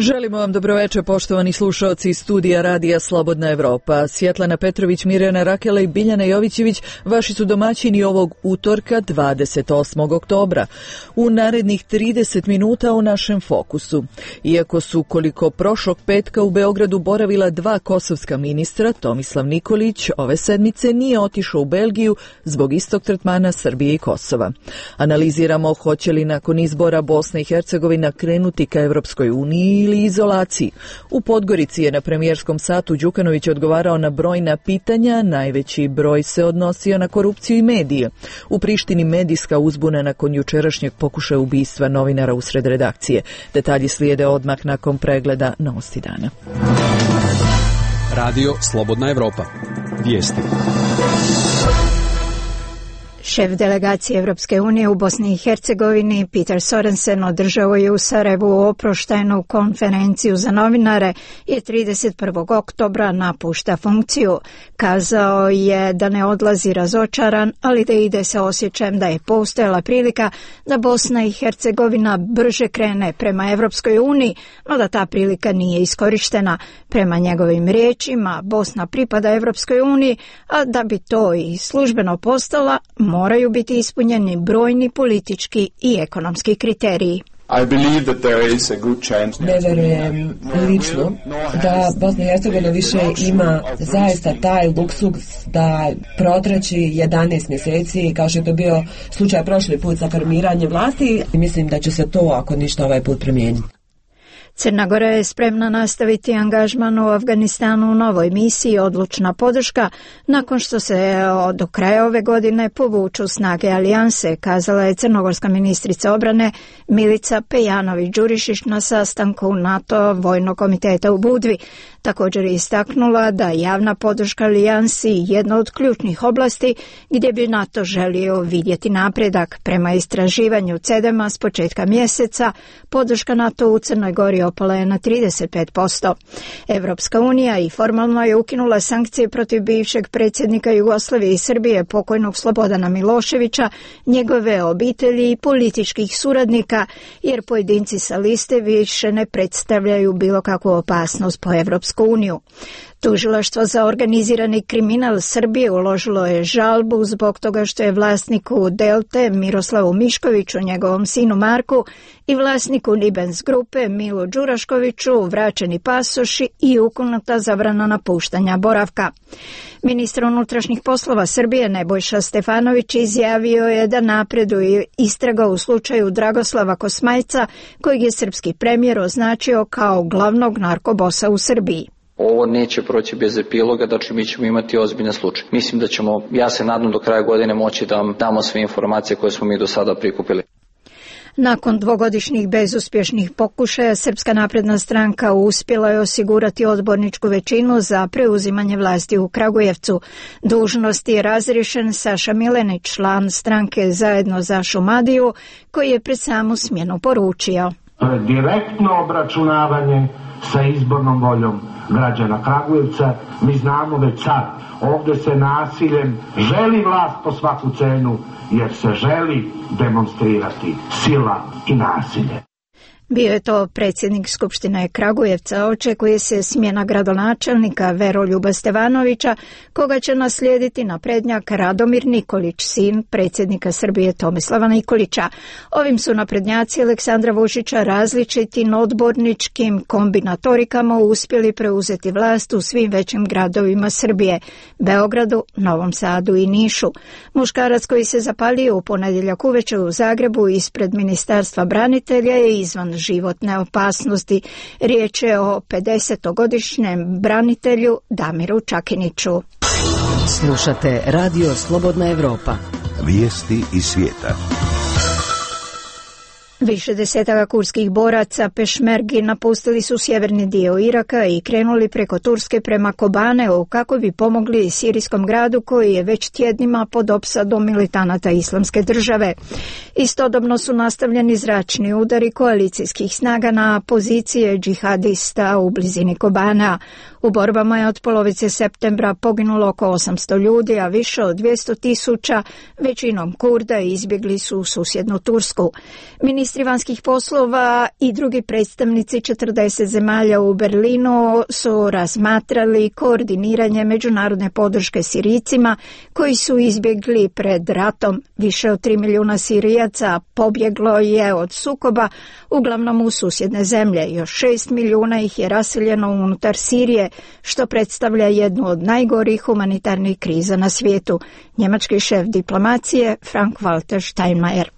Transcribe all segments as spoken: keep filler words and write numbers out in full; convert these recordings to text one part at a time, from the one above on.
Želimo vam dobroveče, poštovani slušaoci iz studija Radija Slobodna Evropa. Svjetlana Petrović, Mirjana Rakela i Biljana Jovićević vaši su domaćini ovog utorka dvadeset osmog oktobra. U narednih trideset minuta u našem fokusu. Iako su koliko prošlog petka u Beogradu boravila dva kosovska ministra, Tomislav Nikolić ove sedmice nije otišao u Belgiju zbog istog tretmana Srbije i Kosova. Analiziramo hoće li nakon izbora Bosna i Hercegovina krenuti ka Evropskoj uniji ili izolaciji. U Podgorici je na premijerskom satu Đukanović odgovarao na brojna pitanja, najveći broj se odnosio na korupciju i medije. U Prištini medijska uzbuna nakon jučerašnjeg pokušaja ubistva novinara usred redakcije. Detalji slijede odmah nakon pregleda Novosti dana. Radio Slobodna Evropa. Vijesti. Šef delegacije Evropske unije u Bosni i Hercegovini Peter Sorensen održao je u Sarajevu oproštajnu konferenciju za novinare i trideset prvog oktobra napušta funkciju. Kazao je da ne odlazi razočaran, ali da ide sa osjećajem da je postojala prilika da Bosna i Hercegovina brže krene prema Evropskoj uniji, no da ta prilika nije iskorištena. Prema njegovim riječima, Bosna pripada Evropskoj uniji, a da bi to i službeno postala, moraju biti ispunjeni brojni politički i ekonomski kriteriji. Ne verujem lično da Bosna i Hercegovina više ima zaista taj luksuz da protraći jedanaest mjeseci kao što je to bio slučaj prošli put za formiranje vlasti. Mislim da će se to ako ništa ovaj put promijeniti. Crna Gora je spremna nastaviti angažman u Afganistanu u novoj misiji Odlučna podrška nakon što se do kraja ove godine povuču snage alijanse, kazala je crnogorska ministrica obrane Milica Pejanović-Đurišić na sastanku NATO Vojnog komiteta u Budvi. Također je istaknula da javna podrška alijansi jedna od ključnih oblasti gdje bi NATO želio vidjeti napredak. Prema istraživanju CEDEM-a s početka mjeseca podrška NATO u Crnoj Gori opala je na trideset pet posto. Evropska unija i formalno je ukinula sankcije protiv bivšeg predsjednika Jugoslavije i Srbije pokojnog Slobodana Miloševića, njegove obitelji i političkih suradnika, jer pojedinci sa liste više ne predstavljaju bilo kakvu opasnost po Evropsku uniju. Tužilaštvo za organizirani kriminal Srbije uložilo je žalbu zbog toga što je vlasniku Delte Miroslavu Miškoviću, njegovom sinu Marku, i vlasniku Nibens grupe Milu Đuraškoviću vraćeni pasoši i ukinuta zabrana napuštanja boravka. Ministar unutrašnjih poslova Srbije Nebojša Stefanović izjavio je da napreduje istraga u slučaju Dragoslava Kosmajca, kojeg je srpski premijer označio kao glavnog narkobosa u Srbiji. Ovo neće proći bez epiloga, znači mi ćemo imati ozbiljne slučaje. Mislim da ćemo, ja se nadam do kraja godine moći da vam damo sve informacije koje smo mi do sada prikupili. Nakon dvogodišnjih bezuspješnih pokušaja, Srpska napredna stranka uspjela je osigurati odborničku većinu za preuzimanje vlasti u Kragujevcu. Dužnost je razriješen Saša Milenić, član stranke Zajedno za Šumadiju, koji je pred samu smjenu poručio: direktno obračunavanje sa izbornom voljom građana Kragujevca. Mi znamo već sad, ovdje se nasiljem želi vlast po svaku cenu, jer se želi demonstrirati sila i nasilje. Bio je to predsjednik Skupštine Kragujevca. Očekuje se smjena gradonačelnika Veroljuba Stevanovića, koga će naslijediti naprednjak Radomir Nikolić, sin predsjednika Srbije Tomislava Nikolića. Ovim su naprednjaci Aleksandra Vučića različitim odborničkim kombinatorikama uspjeli preuzeti vlast u svim većim gradovima Srbije, Beogradu, Novom Sadu i Nišu. Muškarac koji se zapalio u ponedjeljak uveče u Zagrebu ispred Ministarstva branitelja je izvan životne opasnosti. Riječ je o pedesetogodišnjem branitelju Damiru Čakiniću. Slušate Radio Slobodna Evropa. Vijesti iz svijeta. Više desetaka kurskih boraca Pešmergi napustili su sjeverni dio Iraka i krenuli preko Turske prema Kobaneu kako bi pomogli sirijskom gradu koji je već tjednima pod opsadom militanata Islamske države. Istodobno su nastavljeni zračni udari koalicijskih snaga na pozicije džihadista u blizini Kobanea. U borbama je od polovice septembra poginulo oko osamsto ljudi, a više od dvjesto tisuća, većinom Kurda, izbjegli su u susjednu Tursku. Ministar Ministri vanjskih poslova i drugi predstavnici četrdeset zemalja u Berlinu su razmatrali koordiniranje međunarodne podrške Sirijcima koji su izbjegli pred ratom. Više od tri milijuna Sirijaca pobjeglo je od sukoba, uglavnom u susjedne zemlje. Još šest milijuna ih je raseljeno unutar Sirije, što predstavlja jednu od najgorih humanitarnih kriza na svijetu. Njemački šef diplomacije Frank-Walter Steinmeier.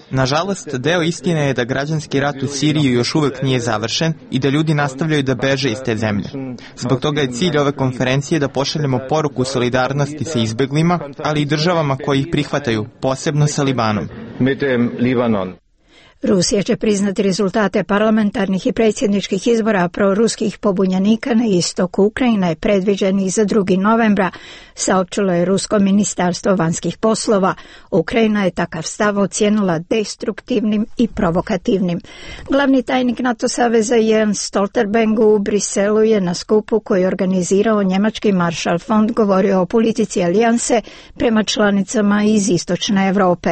Nažalost, deo istine je da građanski rat u Siriji još uvijek nije završen i da ljudi nastavljaju da beže iz te zemlje. Zbog toga je cilj ove konferencije da pošaljemo poruku solidarnosti sa izbeglima, ali i državama koji ih prihvataju, posebno sa Libanom. Rusija će priznati rezultate parlamentarnih i predsjedničkih izbora proruskih pobunjenika na istoku Ukrajine predviđeni za drugi novembra, saopćilo je Rusko ministarstvo vanjskih poslova. Ukrajina je takav stav ocijenila destruktivnim i provokativnim. Glavni tajnik NATO saveza Jens Stoltenberg u Briselu je na skupu koji je organizirao njemački Marshall Fond govorio o politici alijanse prema članicama iz istočne Europe.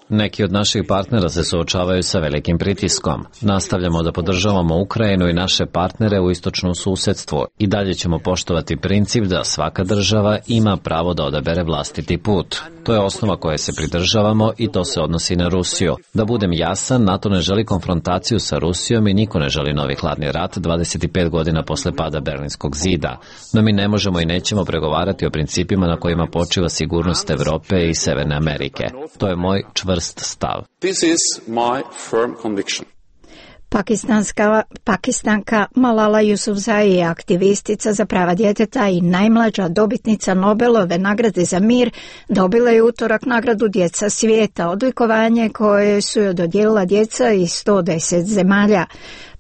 Neki od naših partnera se suočavaju sa velikim pritiskom. Nastavljamo da podržavamo Ukrajinu i naše partnere u istočnom susjedstvu i dalje ćemo poštovati princip da svaka država ima pravo da odabere vlastiti put. To je osnova koje se pridržavamo i to se odnosi na Rusiju. Da budem jasan, NATO ne želi konfrontaciju sa Rusijom i niko ne želi novi hladni rat dvadeset pet godina posle pada Berlinskog zida. No mi ne možemo i nećemo pregovarati o principima na kojima počiva sigurnost Evrope i Severne Amerike. To je moj čvrst stav. This is my firm conviction. Pakistanska, Pakistanka Malala Yousafzai je aktivistica za prava djeteta i najmlađa dobitnica Nobelove nagrade za mir. Dobila je utorak nagradu Djeca svijeta, odlikovanje koje su joj dodijelila djeca iz sto deset zemalja.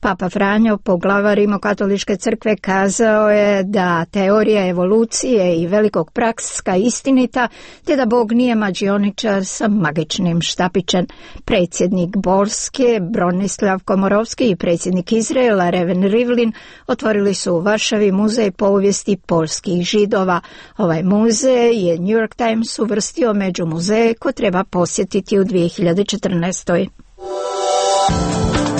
Papa Franjo, poglavar Rimokatoličke crkve, kazao je da teorija evolucije i velikog prakska istinita, te da Bog nije mađioničar sa magičnim štapićem. Predsjednik Polske Bronislav Komorovski i predsjednik Izraela Reuven Rivlin otvorili su u Varšavi muzej povijesti polskih Židova. Ovaj muzej je New York Times uvrstio među muzeje koje treba posjetiti u dvije hiljade četrnaestoj.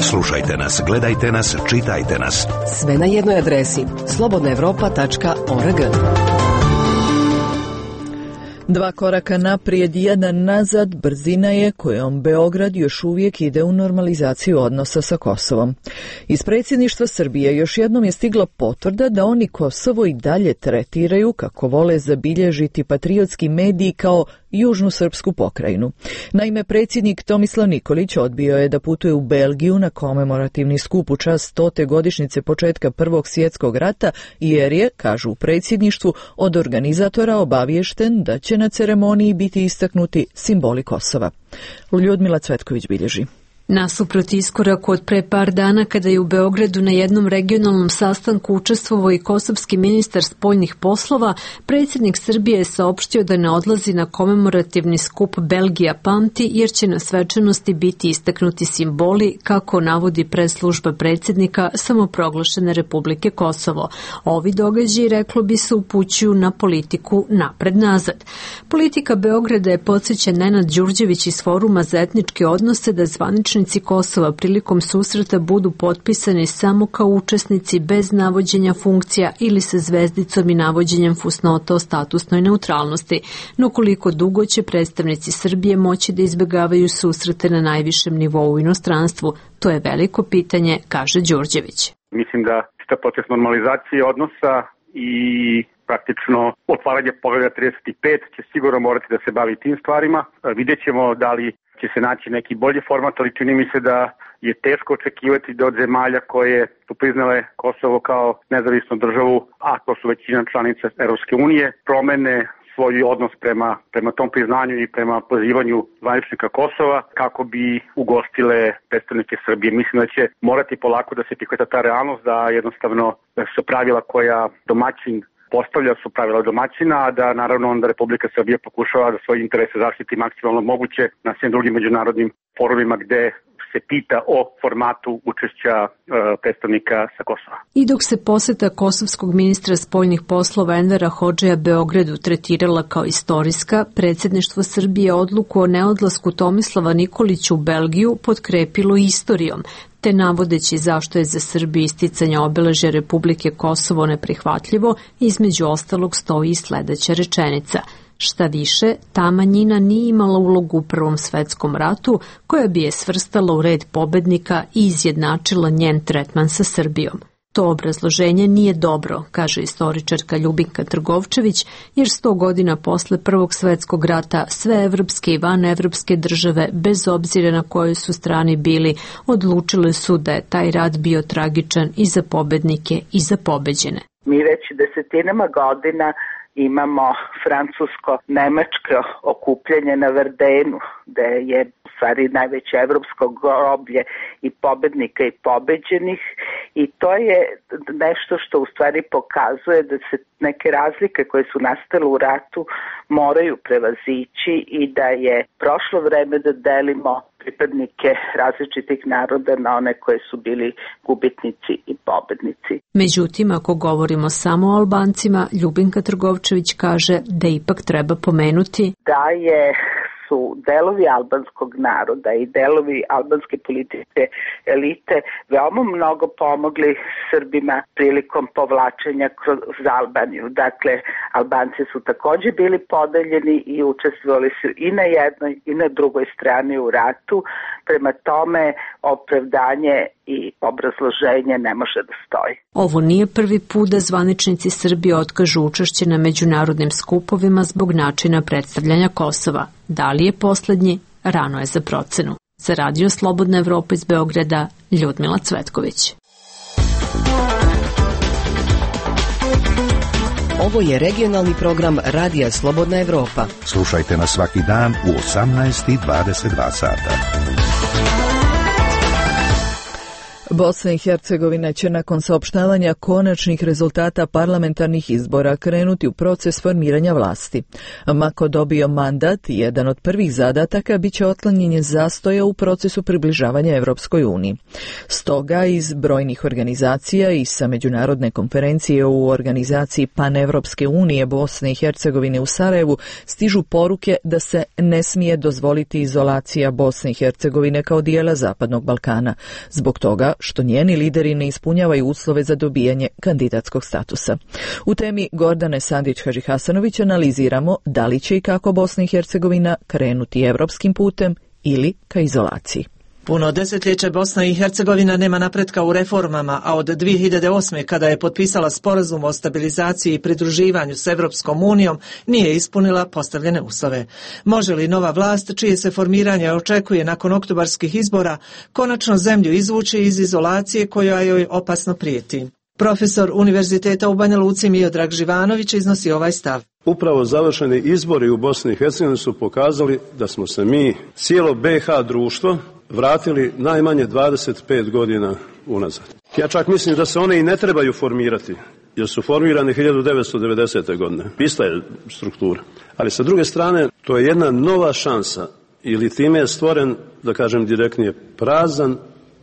Slušajte nas, gledajte nas, čitajte nas. Sve na jednoj adresi slobodna europa tačka org. Dva koraka naprijed, jedan nazad, brzina je kojom Beograd još uvijek ide u normalizaciju odnosa sa Kosovom. Iz predsjedništva Srbije još jednom je stigla potvrda da oni Kosovo i dalje tretiraju, kako vole zabilježiti patriotski mediji, kao južnu srpsku pokrajinu. Naime, predsjednik Tomislav Nikolić odbio je da putuje u Belgiju na komemorativni skup u čast stote godišnjice početka Prvog svjetskog rata, jer je, kažu u predsjedništvu, od organizatora obaviješten da će na ceremoniji biti istaknuti simboli Kosova. Ljudmila Cvetković bilježi. Nasuprot iskoraku od pre par dana kada je u Beogradu na jednom regionalnom sastanku učestvovao i kosovski ministar spoljnih poslova, predsjednik Srbije je saopštio da ne odlazi na komemorativni skup Belgija pamti, jer će na svečanosti biti istaknuti simboli, kako navodi presslužba predsjednika samoproglašene Republike Kosovo. Ovi događaji, reklo bi se, upućuju na politiku napred-nazad. Politika Beograda je, podsjeća Nenad Đurđević iz Foruma za etničke odnose, da zvanični Kosova prilikom susreta budu potpisani samo kao učesnici bez navođenja funkcija ili sa zvezdicom i navođenjem fusnota o statusnoj neutralnosti. No koliko dugo će predstavnici Srbije moći da izbjegavaju susrete na najvišem nivou u inostranstvu? To je veliko pitanje, kaže Đurđević. Mislim da šta proces normalizacije odnosa i praktično otvaranje poglavlja trideset pet će sigurno morati da se bavi tim stvarima. Vidjet ćemo da li će se naći neki bolji format, ali čini mi se da je teško očekivati da od zemalja koje su priznale Kosovo kao nezavisnu državu, a to su većina članica Europske unije, promene svoj odnos prema, prema tom priznanju i prema pozivanju zvaničnika Kosova kako bi ugostile predstavnike Srbije. Mislim da će morati polako da se prihvata ta realnost, da jednostavno da su pravila koja domaćin postavlja su pravila domaćina, a da naravno onda Republika Srbija pokušava da svoje interese zaštiti maksimalno moguće na svim drugim međunarodnim forumima gde se pita o formatu učešća uh, predstavnika sa Kosova. I dok se poseta kosovskog ministra spoljnih poslova Envera Hodžeja Beogradu tretirala kao istorijska, predsjedništvo Srbije odluku o neodlasku Tomislava Nikolića u Belgiju potkrepilo istorijom, te navodeći zašto je za Srbiju isticanje obeležja Republike Kosovo neprihvatljivo, između ostalog stoji i sledeća rečenica. Šta više, ta manjina nije imala ulogu u Prvom svetskom ratu, koja bi je svrstala u red pobednika i izjednačila njen tretman sa Srbijom. To obrazloženje nije dobro, kaže istoričarka Ljubinka Trgovčević, jer sto godina posle Prvog svetskog rata sve evropske i vanevropske države, bez obzira na kojoj su strani bili, odlučile su da je taj rat bio tragičan i za pobednike i za pobeđene. Mi već desetinama godina imamo francusko-nemačko okupljanje na Verdenu, gde je u stvari najveće evropsko groblje i pobednika i pobeđenih, i to je nešto što u stvari pokazuje da se neke razlike koje su nastale u ratu moraju prevazići i da je prošlo vreme da delimo pripadnike različitih naroda na one koje su bili gubitnici i pobednici. Međutim, ako govorimo samo o Albancima, Ljubinka Trgovčević kaže da ipak treba pomenuti da je su delovi albanskog naroda i delovi albanske političke elite veoma mnogo pomogli Srbima prilikom povlačenja kroz Albaniju. Dakle, Albanci su takođe bili podeljeni i učestvovali su i na jednoj i na drugoj strani u ratu. Prema tome, opravdanje i obrazloženje ne može da stoji. Ovo nije prvi put da zvaničnici Srbije otkažu učešće na međunarodnim skupovima zbog načina predstavljanja Kosova. Da li je poslednji? Rano je za procenu. Za Radio Slobodna Evropa iz Beograda, Ljudmila Cvetković. Ovo je regionalni program Radija Slobodna Evropa. Slušajte nas svaki dan u osamnaest i dvadeset dva sata. Bosna i Hercegovina će nakon saopštavanja konačnih rezultata parlamentarnih izbora krenuti u proces formiranja vlasti. Mako dobio mandat, jedan od prvih zadataka biće otklanjanje zastoja u procesu približavanja Evropskoj uniji. Stoga iz brojnih organizacija i sa međunarodne konferencije u organizaciji Panevropske unije Bosne i Hercegovine u Sarajevu stižu poruke da se ne smije dozvoliti izolacija Bosne i Hercegovine kao dijela Zapadnog Balkana. Zbog toga što njeni lideri ne ispunjavaju uslove za dobijanje kandidatskog statusa. U temi Gordane Sandić-Hadžihasanović analiziramo da li će i kako Bosna i Hercegovina krenuti evropskim putem ili ka izolaciji. Puno desetljeća Bosna i Hercegovina nema napretka u reformama, a od dvije hiljade osme. kada je potpisala sporazum o stabilizaciji i pridruživanju s Evropskom unijom, nije ispunila postavljene uslove. Može li nova vlast, čije se formiranje očekuje nakon oktobarskih izbora, konačno zemlju izvući iz izolacije koja joj opasno prijeti? Profesor Univerziteta u Banja Luci Miodrag Živanović iznosi ovaj stav. Upravo završeni izbori u Bosni i Hercegovini su pokazali da smo se mi, cijelo be ha društvo, vratili najmanje dvadeset pet godina unazad. Ja čak mislim da se one i ne trebaju formirati, jer su formirane hiljadu devetsto devedesete. godine. Ista je struktura. Ali sa druge strane, to je jedna nova šansa, ili time je stvoren, da kažem direktnije, prazan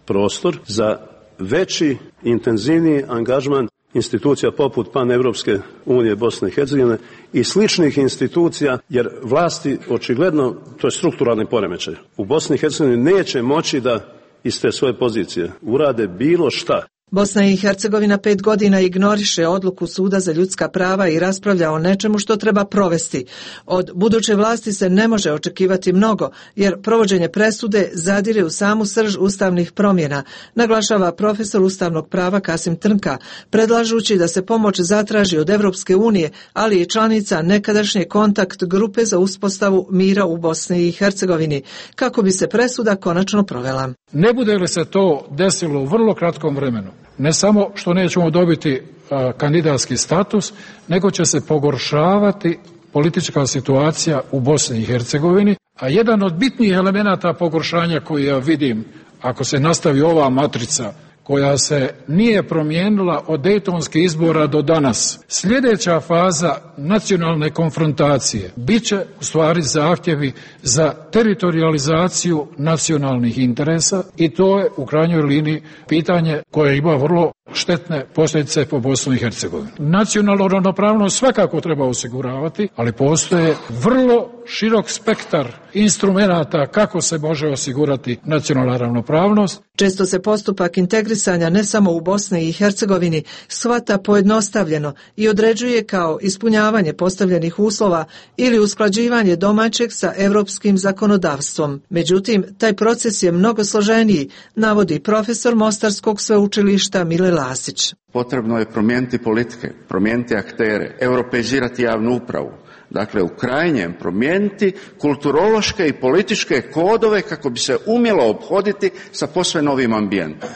prostor za veći, intenzivniji angažman institucija poput Panevropske unije Bosne i Hercegovine i sličnih institucija, jer vlasti očigledno, to je strukturalni poremećaj, u Bosni i Hercegovini neće moći da iz te svoje pozicije urade bilo šta. Bosna i Hercegovina pet godina ignoriše odluku Suda za ljudska prava i raspravlja o nečemu što treba provesti. Od buduće vlasti se ne može očekivati mnogo, jer provođenje presude zadire u samu srž ustavnih promjena, naglašava profesor ustavnog prava Kasim Trnka, predlažući da se pomoć zatraži od Evropske unije, ali i članica nekadašnje kontakt grupe za uspostavu mira u Bosni i Hercegovini, kako bi se presuda konačno provela. Ne bude li se to desilo u vrlo kratkom vremenu, ne samo što nećemo dobiti a, kandidatski status, nego će se pogoršavati politička situacija u Bosni i Hercegovini, a jedan od bitnijih elemenata pogoršanja koji ja vidim, ako se nastavi ova matrica koja se nije promijenila od dejtonskih izbora do danas. Sljedeća faza nacionalne konfrontacije bit će u stvari zahtjevi za teritorializaciju nacionalnih interesa i to je u krajnjoj liniji pitanje koje ima vrlo štetne posljedice po Bosnu i Hercegovinu. Nacionalnu ravnopravnost svakako treba osiguravati, ali postoje vrlo širok spektar instrumenata kako se može osigurati nacionalna ravnopravnost. Često se postupak integrisanja ne samo u Bosni i Hercegovini shvata pojednostavljeno i određuje kao ispunjavanje postavljenih uslova ili usklađivanje domaćeg sa europskim zakonodavstvom. Međutim, taj proces je mnogo složeniji, navodi profesor Mostarskog sveučilišta Mile Lasić. Potrebno je promijeniti politike, promijeniti aktere, europeizirati javnu upravu. Dakle, u krajnjem promijeniti kulturološke i političke kodove kako bi se umjelo ophoditi sa posve novim ambijentom.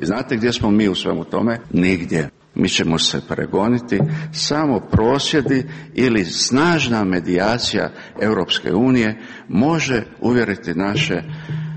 I znate gdje smo mi u svemu tome? Nigdje. Mi ćemo se pregoniti, samo prosvjedi ili snažna medijacija Europske unije može uvjeriti naše,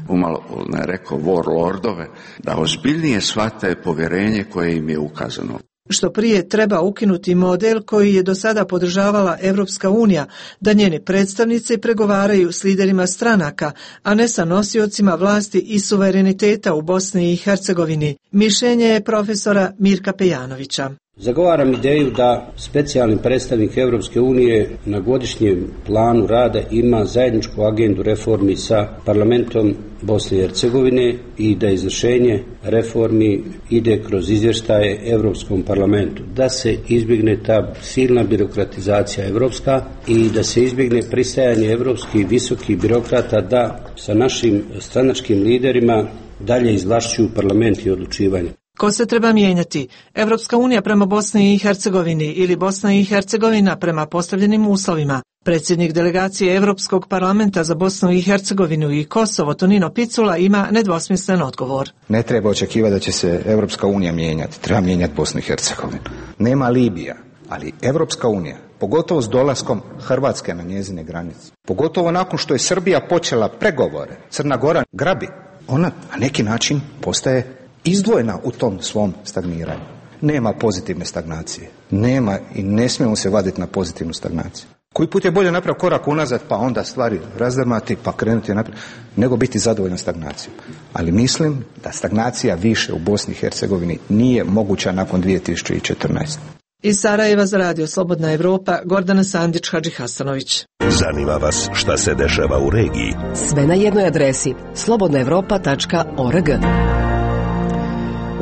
umalo ne rekao warlordove, da ozbiljnije shvate povjerenje koje im je ukazano. Što prije treba ukinuti model koji je do sada podržavala Europska unija, da njeni predstavnici pregovaraju s liderima stranaka, a ne sa nosiocima vlasti i suvereniteta u Bosni i Hercegovini. Mišljenje je profesora Mirka Pejanovića. Zagovaram ideju da specijalni predstavnik Europske unije na godišnjem planu rada ima zajedničku agendu reformi sa parlamentom Bosne i Hercegovine i da izvršenje reformi ide kroz izvještaje Europskom parlamentu, da se izbjegne ta silna birokratizacija evropska i da se izbjegne pristajanje evropskih visokih birokrata da sa našim stranačkim liderima dalje izvlašćuju parlament i odlučivanje. Ko se treba mijenjati? Evropska unija prema Bosni i Hercegovini ili Bosna i Hercegovina prema postavljenim uslovima? Predsjednik delegacije Europskog parlamenta za Bosnu i Hercegovinu i Kosovo Tonino Picula ima nedvosmislen odgovor. Ne treba očekivati da će se Evropska unija mijenjati, treba mijenjati Bosnu i Hercegovinu. Nema Libija, ali Evropska unija, pogotovo s dolaskom Hrvatske na njezine granice, pogotovo nakon što je Srbija počela pregovore, Crna Gora grabi, ona na neki način postaje izdvojena u tom svom stagniranju. Nema pozitivne stagnacije. Nema i ne smijemo se vaditi na pozitivnu stagnaciju. Koji put je bolje napraviti korak unazad pa onda stvari razdrmati pa krenuti naprijed, nego biti zadovoljan stagnacijom. Ali mislim da stagnacija više u Bosni i Hercegovini nije moguća nakon dvije tisuće četrnaeste. Iz Sarajeva za radio Slobodna Evropa, Gordana Sandić, Hadži Hasanović. Zanima vas šta se dešava u regiji? Sve na jednoj adresi slobodna evropa tačka org.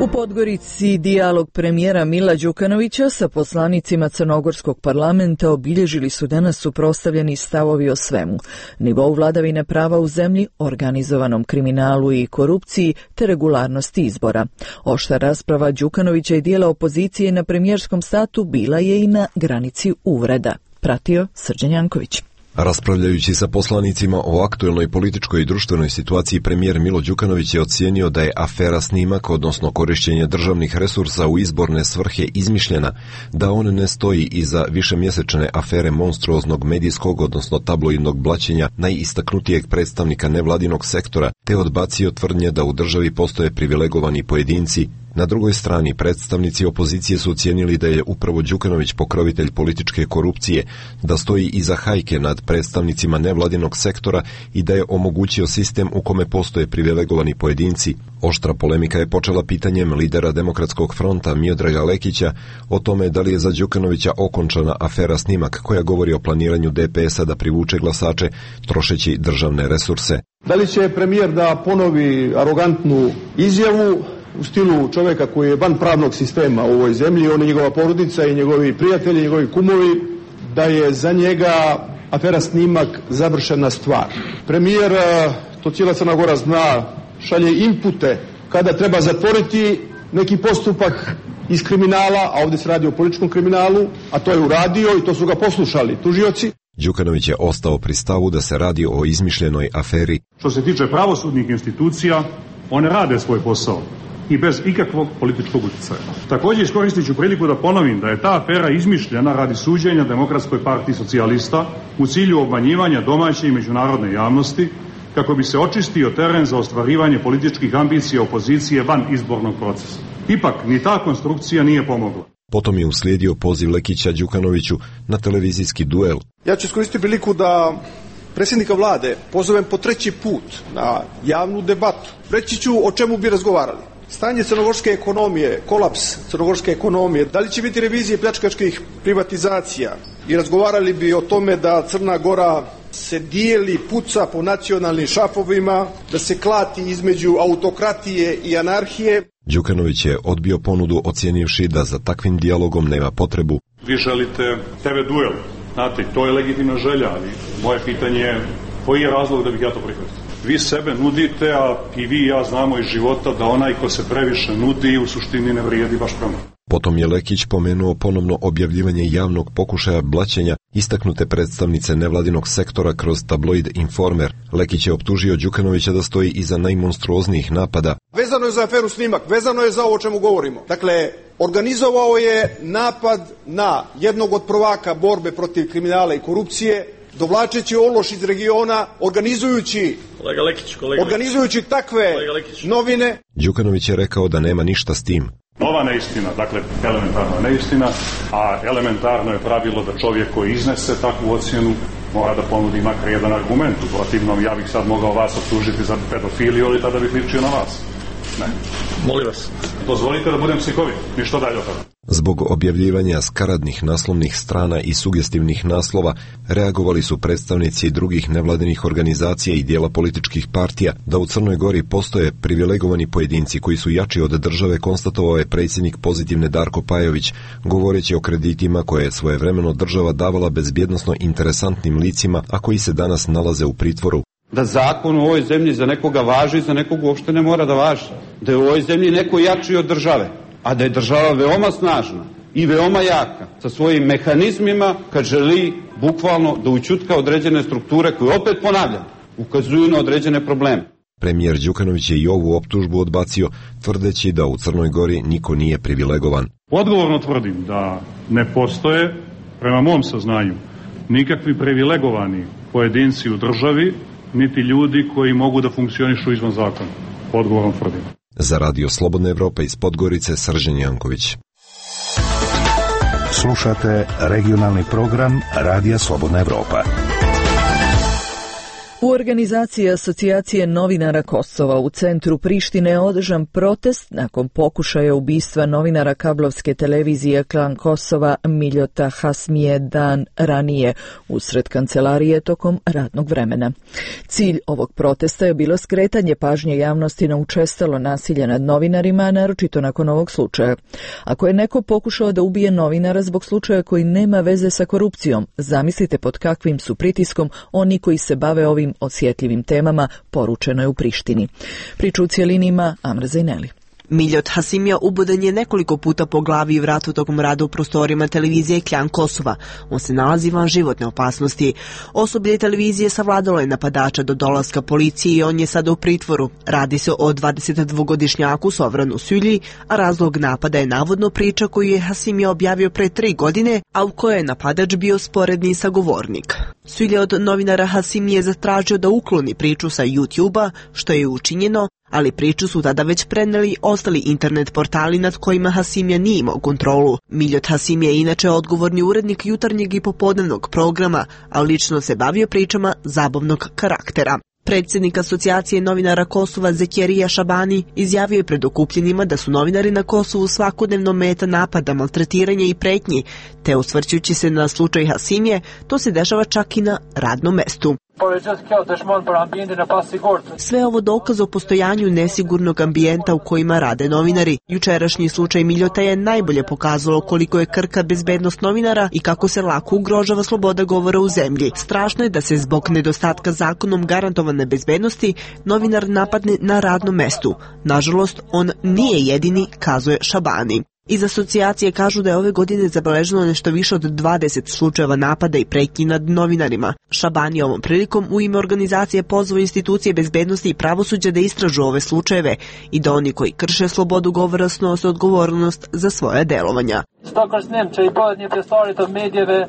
U Podgorici dijalog premijera Mila Đukanovića sa poslanicima Crnogorskog parlamenta obilježili su danas suprotstavljeni stavovi o svemu: nivou vladavine prava u zemlji, organizovanom kriminalu i korupciji te regularnosti izbora. Oštra rasprava Đukanovića i dijela opozicije na premijerskom statu bila je i na granici uvreda. Pratio Srđan Janković. Raspravljajući sa poslanicima o aktuelnoj političkoj i društvenoj situaciji, premijer Milo Đukanović je ocijenio da je afera snimak, odnosno korišćenje državnih resursa u izborne svrhe, izmišljena, da on ne stoji iza višemjesečne afere monstruoznog medijskog, odnosno tabloidnog blaćenja najistaknutijeg predstavnika nevladinog sektora, te odbacio tvrdnje da u državi postoje privilegovani pojedinci. Na drugoj strani, predstavnici opozicije su ocijenili da je upravo Đukanović pokrovitelj političke korupcije, da stoji iza hajke nad predstavnicima nevladinog sektora i da je omogućio sistem u kome postoje privilegovani pojedinci. Oštra polemika je počela pitanjem lidera Demokratskog fronta Miodraga Lekića o tome da li je za Đukanovića okončana afera snimak koja govori o planiranju D P S-a da privuče glasače trošeći državne resurse. Da li će premijer da ponovi arogantnu izjavu u stilu čovjeka koji je van pravnog sistema u ovoj zemlji, on i njegova porodica i njegovi prijatelji, njegovi kumovi, da je za njega afera snimak završena stvar. Premijer, to cijela Crna Gora zna, šalje inpute kada treba zatvoriti neki postupak iz kriminala, a ovdje se radi o političkom kriminalu, a to je uradio i to su ga poslušali tužioci. Đukanović je ostao pri stavu da se radi o izmišljenoj aferi. Što se tiče pravosudnih institucija, one rade svoj posao i bez ikakvog političkog utjecaja. Također iskoristit ću priliku da ponovim da je ta afera izmišljena radi suđenja Demokratskoj partiji socijalista u cilju obmanjivanja domaće i međunarodne javnosti kako bi se očistio teren za ostvarivanje političkih ambicija opozicije van izbornog procesa. Ipak, ni ta konstrukcija nije pomogla. Potom je uslijedio poziv Lekića Đukanoviću na televizijski duel. Ja ću iskoristiti priliku da predsjednika vlade pozovem po treći put na javnu debatu. Reći ću o čemu bi razgovarali. Stanje crnogorske ekonomije, kolaps crnogorske ekonomije, da li će biti revizije pljačkaških privatizacija i razgovarali bi o tome da Crna Gora se dijeli, puca po nacionalnim šafovima, da se klati između autokratije i anarhije. Đukanović je odbio ponudu ocijenivši da za takvim dijalogom nema potrebu. Vi želite tebe duel, znate, to je legitimna želja, ali moje pitanje je koji je razlog da bih ja to prihvatio? Vi sebe nudite, a i vi i ja znamo iz života da onaj ko se previše nudi u suštini ne vrijedi baš prema. Potom je Lekić pomenuo ponovno objavljivanje javnog pokušaja blaćenja istaknute predstavnice nevladinog sektora kroz tabloid Informer. Lekić je optužio Đukanovića da stoji iza najmonstruoznijih napada. Vezano je za aferu Snimak, vezano je za ovo o čemu govorimo. Dakle, organizovao je napad na jednog od prvaka borbe protiv kriminala i korupcije, dovlačeći ološ iz regiona, organizujući, kolega Lekić, kolega organizujući takve novine. Đukanović je rekao da nema ništa s tim. Nova neistina, dakle elementarna neistina, a elementarno je pravilo da čovjek koji iznese takvu ocjenu mora da ponudi makar jedan argument. U protivnom, ja bih sad mogao vas optužiti za pedofiliju, ali tada bih ličio na vas. Ne. Molim vas, dozvolite da budem psihovit, ništa dalje od toga. Zbog objavljivanja skaradnih naslovnih strana i sugestivnih naslova reagovali su predstavnici drugih nevladinih organizacija i dijela političkih partija da u Crnoj Gori postoje privilegovani pojedinci koji su jači od države, konstatovao je predsjednik Pozitivne Darko Pajović, govoreći o kreditima koje je svojevremeno država davala bezbjednosno interesantnim licima, a koji se danas nalaze u pritvoru. Da zakon u ovoj zemlji za nekoga važi, za nekog uopšte ne mora da važi. Da je u ovoj zemlji neko jači od države, a da je država veoma snažna i veoma jaka sa svojim mehanizmima kad želi bukvalno da ućutka određene strukture koje, opet ponavljam, ukazuju na određene probleme. Premijer Đukanović je i ovu optužbu odbacio, tvrdeći da u Crnoj Gori niko nije privilegovan. Odgovorno tvrdim da ne postoje, prema mom saznanju, nikakvi privilegovani pojedinci u državi, niti ljudi koji mogu da funkcionišu izvan zakona. Odgovorno tvrdim. Za Radio Slobodna Evropa iz Podgorice, Srđan Janković. Slušate regionalni program Radija Slobodna Evropa. U organizaciji Asocijacije novinara Kosova u centru Prištine je održan protest nakon pokušaja ubistva novinara kablovske televizije Klan Kosova Miljota Hasmije dan ranije usred kancelarije tokom radnog vremena. Cilj ovog protesta je bilo skretanje pažnje javnosti na učestalo nasilje nad novinarima, naročito nakon ovog slučaja. Ako je neko pokušao da ubije novinara zbog slučaja koji nema veze sa korupcijom, zamislite pod kakvim su pritiskom oni koji se bave ovim osjetljivim temama, poručeno je u Prištini. Priču u cijelini ima Amra Zajneli. Miljot Hasimija uboden je nekoliko puta po glavi i vratu tokom rada u prostorima televizije Klan Kosova. On se nalazi van životne opasnosti. Osoblje televizije savladalo je napadača do dolaska policije i on je sada u pritvoru. Radi se o dvadesetdvogodišnjaku Sovranu Sylji, a razlog napada je navodno priča koju je Hasimija objavio pre tri godine, a u kojoj je napadač bio sporedni sagovornik. Sylja od novinara Hasimije zatražio da ukloni priču sa YouTube-a, što je učinjeno, ali priču su tada već preneli ostali internet portali nad kojima Hasimija nije imao kontrolu. Miljot Hasimija je inače odgovorni urednik jutarnjeg i popodnevnog programa, a lično se bavio pričama zabavnog karaktera. Predsjednik Asocijacije novinara Kosova Zekjerija Šabani izjavio je pred okupljenima da su novinari na Kosovu svakodnevno meta napada, maltretiranja i pretnji, te osvrćući se na slučaj Hasimije, to se dešava čak i na radnom mestu. Sve ovo dokaz o postojanju nesigurnog ambijenta u kojima rade novinari. Jučerašnji slučaj Miljota je najbolje pokazalo koliko je krhka bezbednost novinara i kako se lako ugrožava sloboda govora u zemlji. Strašno je da se zbog nedostatka zakonom garantovane bezbednosti novinar napadne na radnom mestu. Nažalost, on nije jedini, kazuje Šabani. Iz asocijacije kažu da je ove godine zabeleženo nešto više od dvadeset slučajeva napada i pretnji nad novinarima. Šabani je ovom prilikom u ime organizacije pozvao institucije bezbednosti i pravosuđa da istražu ove slučajeve i da oni koji krše slobodu govora snose odgovornost za svoje delovanja.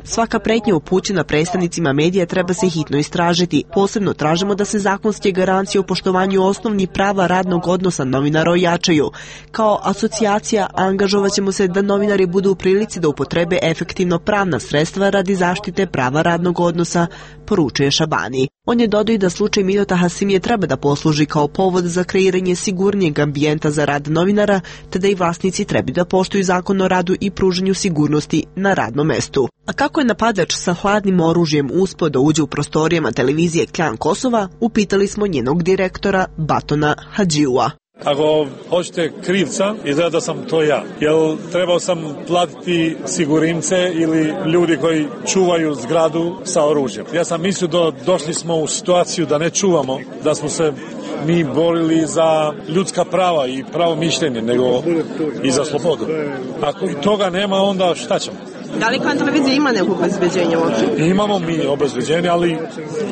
Svaka pretnja upućena predstavnicima medija treba se hitno istražiti. Posebno tražimo da se zakonske garancije o poštovanju osnovnih prava radnog odnosa novinara ojačaju. Kao asocijacija angažovat ćemo se da novinari budu u prilici da upotrebe efektivno pravna sredstva radi zaštite prava radnog odnosa, poručuje Šabani. On je dodao i da slučaj Miljota Hasimije treba da posluži kao povod za kreiranje sigurnijeg ambijenta za rad novinara, te da i vlasnici treba da poštuju zakon o radu i pružanju sigurnosti na radnom mestu. A kako je napadač sa hladnim oružjem uspeo da uđe u prostorijama televizije Klan Kosova, upitali smo njenog direktora Batona Hadžiua. Ako hoćete krivca, izgleda da sam to ja. Jer trebao sam platiti sigurimce ili ljudi koji čuvaju zgradu sa oružjem. Ja sam mislio da došli smo u situaciju da ne čuvamo, da smo se mi borili za ljudska prava i pravo mišljenje, nego i za slobodu. Ako i toga nema, onda šta ćemo? Da li Klan televizija ima neko obezbeđenje uopće? Imamo mi obezbeđenje, ali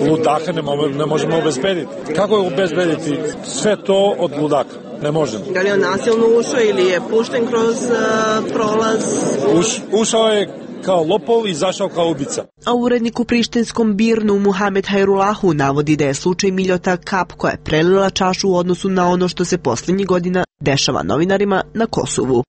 ludaka ne, mo- ne možemo obezbediti. Kako je obezbediti sve to od ludaka? Ne možemo. Da li je on nasilno ušao ili je pušten kroz uh, prolaz? Uš, ušao je kao lopov i izašao kao ubica. A urednik u prištinskom Birnu Muhamed Hajrulahu navodi da je slučaj Miljota kap koja je prelila čašu u odnosu na ono što se posljednjih godina dešava novinarima na Kosovu.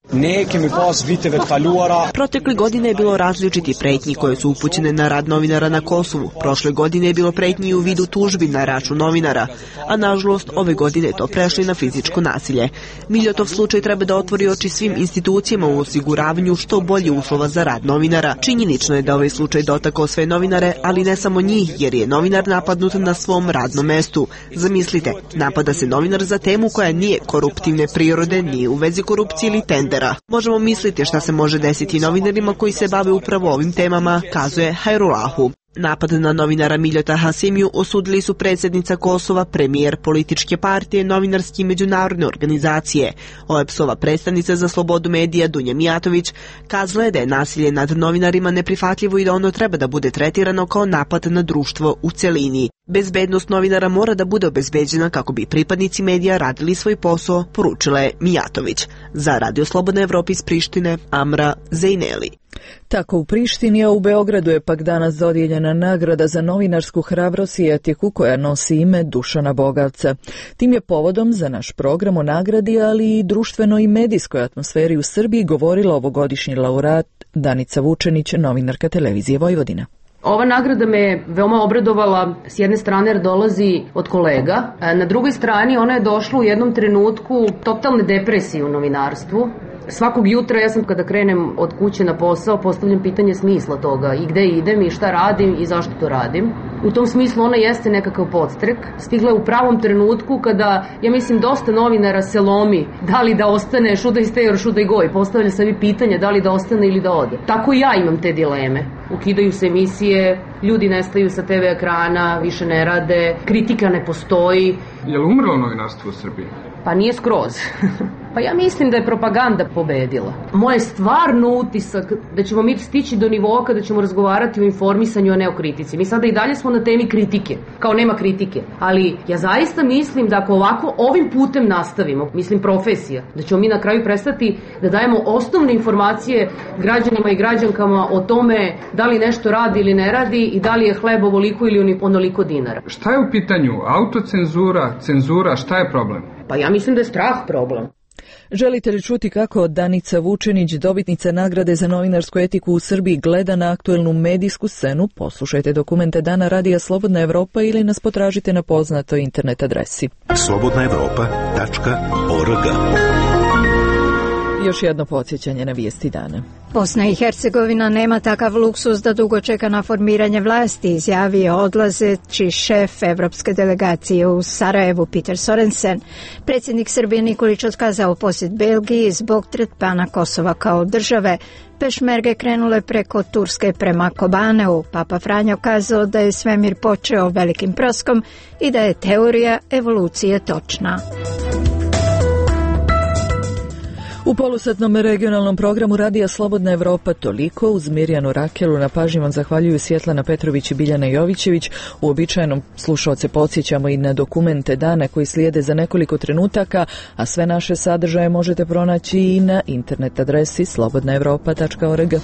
Protekle godine je bilo različiti pretnji koje su upućene na rad novinara na Kosovu. Prošle godine je bilo pretnji u vidu tužbi na račun novinara, a nažalost ove godine je to prešlo na fizičko nasilje. Miljotov slučaj treba da otvori oči svim institucijama u osiguravanju što bolje uslova za rad novinara. Činjenično je da ovaj slučaj dotakao sve novinare, ali ne samo njih, jer je novinar napadnut na svom radnom mestu. Zamislite, napada se novinar za temu koja nije koruptivne prirode, nije u vezi korupcije ili tendera. Možemo misliti šta se može desiti novinarima koji se bave upravo ovim temama, kazuje Hajrulahu. Napad na novinara Miljota Hasimiju osudili su predsjednica Kosova, premijer političke partije, novinarske i međunarodne organizacije. O E P S-ova predstavnica za slobodu medija Dunja Mijatović kazala je da je nasilje nad novinarima neprihvatljivo i da ono treba da bude tretirano kao napad na društvo u celini. Bezbednost novinara mora da bude obezbeđena kako bi pripadnici medija radili svoj posao, poručila je Mijatović. Za Radio Slobodna Evropa iz Prištine, Amra Zejneli. Tako u Prištini, a u Beogradu je pak danas dodijeljena nagrada za novinarsku hrabrost i etiku koja nosi ime Dušana Bogavca. Tim je povodom za naš program o nagradi, ali i društvenoj i medijskoj atmosferi u Srbiji govorila ovogodišnji laureat Danica Vučenić, novinarka Televizije Vojvodina. Ova nagrada me veoma obradovala s jedne strane jer dolazi od kolega, na drugoj strani ona je došla u jednom trenutku totalne depresije u novinarstvu. Svakog jutra ja sam kada krenem od kuće na posao postavljam pitanje smisla toga i gde idem i šta radim i zašto to radim. U tom smislu ona jeste nekakav podstrek. Stigla je u pravom trenutku kada, ja mislim, dosta novinara se lomi da li da ostane, should I stay or should I go, i postavlja sebi pitanje da li da ostane ili da ode. Tako i ja imam te dileme. Ukidaju se emisije, ljudi nestaju sa te ve ekrana, više ne rade, kritika ne postoji. Je li umrlo novinarstvo u Srbiji? Pa nije skroz. Pa ja mislim da je propaganda pobedila. Moj stvarno utisak da ćemo mi stići do nivoa kada ćemo razgovarati o informisanju, a ne o kritici. Mi sada i dalje smo na temi kritike, kao nema kritike. Ali ja zaista mislim da ako ovako ovim putem nastavimo, mislim profesija, da ćemo mi na kraju prestati da dajemo osnovne informacije građanima i građankama o tome da li nešto radi ili ne radi i da li je hleb ovoliko ili onoliko dinara. Šta je u pitanju? Autocenzura, cenzura, šta je problem? Pa ja mislim da je strah problem. Želite li čuti kako Danica Vučenić, dobitnica nagrade za novinarsku etiku u Srbiji, gleda na aktuelnu medijsku scenu? Poslušajte dokumente Dana Radija Slobodna Evropa ili nas potražite na poznatoj internet adresi slobodna evropa tačka org. Još jedno podsjećanje na vijesti dana. Bosna i Hercegovina nema takav luksus da dugo čeka na formiranje vlasti, izjavio odlazeći šef evropske delegacije u Sarajevu Peter Sorensen. Predsjednik Srbije Nikolić otkazao posjet Belgiji zbog tretmana Kosova kao države. Pešmerge krenule preko Turske prema Kobaneu. Papa Franjo kazao da je svemir počeo velikim proskom i da je teorija evolucije točna. U U polusatnom regionalnom programu Radija Slobodna Evropa toliko. Uz Mirjanu Rakelu na pažnji vam zahvaljuju Svjetlana Petrović i Biljana Jovićević. Uobičajenom slušaoce podsjećamo i na dokumente dana koji slijede za nekoliko trenutaka, a sve naše sadržaje možete pronaći i na internet adresi slobodna evropa tačka org.